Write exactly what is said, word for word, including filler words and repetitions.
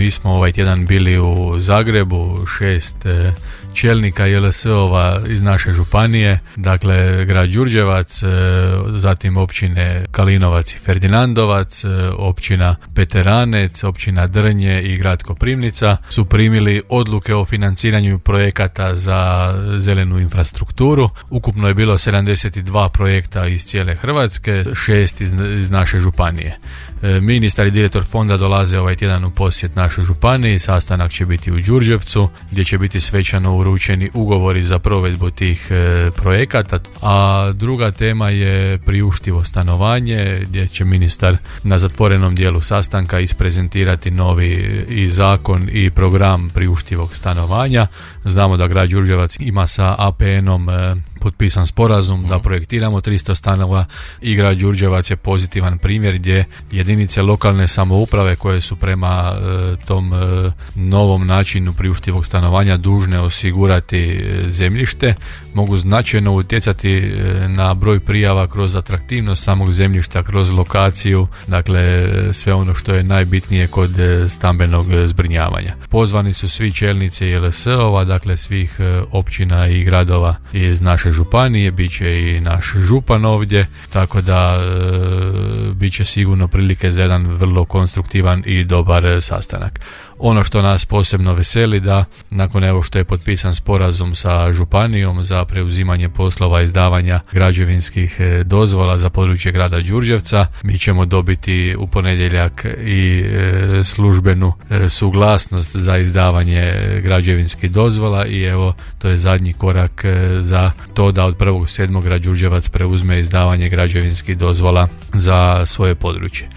mi smo ovaj tjedan bili u Zagrebu, šest e, čelnika J L S ova iz naše županije, dakle grad Đurđevac, e, zatim općine Kalinovac i Ferdinandovac, e, općina Peteranec, općina Drnje i grad Koprivnica su primili odluke o financiranju projekata za zelenu infrastrukturu. Ukupno je bilo sedamdeset dva projekta iz cijele Hrvatske, šest iz, iz naše županije. E, ministar i direktor fonda dolaze ovaj tjedan u posjet našoj županiji, sastanak će biti u Đurđevcu gdje će biti svečano uručeni ugovori za provedbu tih e, projekata, a druga tema je priuštivo stanovanje gdje će ministar na zatvorenom dijelu sastanka isprezentirati novi i zakon i program priuštivog stanovanja. Znamo da grad Đurđevac ima sa A P N-om e, potpisan sporazum da projektiramo tristo stanova i grad Đurđevac je pozitivan primjer gdje jedinice lokalne samouprave koje su prema e, tom e, novom načinu priuštivog stanovanja dužne osigurati e, zemljište mogu značajno utjecati e, na broj prijava kroz atraktivnost samog zemljišta, kroz lokaciju, dakle sve ono što je najbitnije kod e, stambenog zbrinjavanja. Pozvani su svi čelnici J L S ova, dakle svih e, općina i gradova iz naše županije, bit će i naš župan ovdje, tako da e, bit će sigurno prilike za jedan vrlo konstruktivan i dobar sastanak. Ono što nas posebno veseli da nakon evo što je potpisan sporazum sa županijom za preuzimanje poslova izdavanja građevinskih dozvola za područje grada Đurđevca, mi ćemo dobiti u ponedjeljak i e, službenu e, suglasnost za izdavanje građevinskih dozvola i evo to je zadnji korak e, za to da od prvog sedmog grad Đurđevac preuzme izdavanje građevinskih dozvola za svoje područje.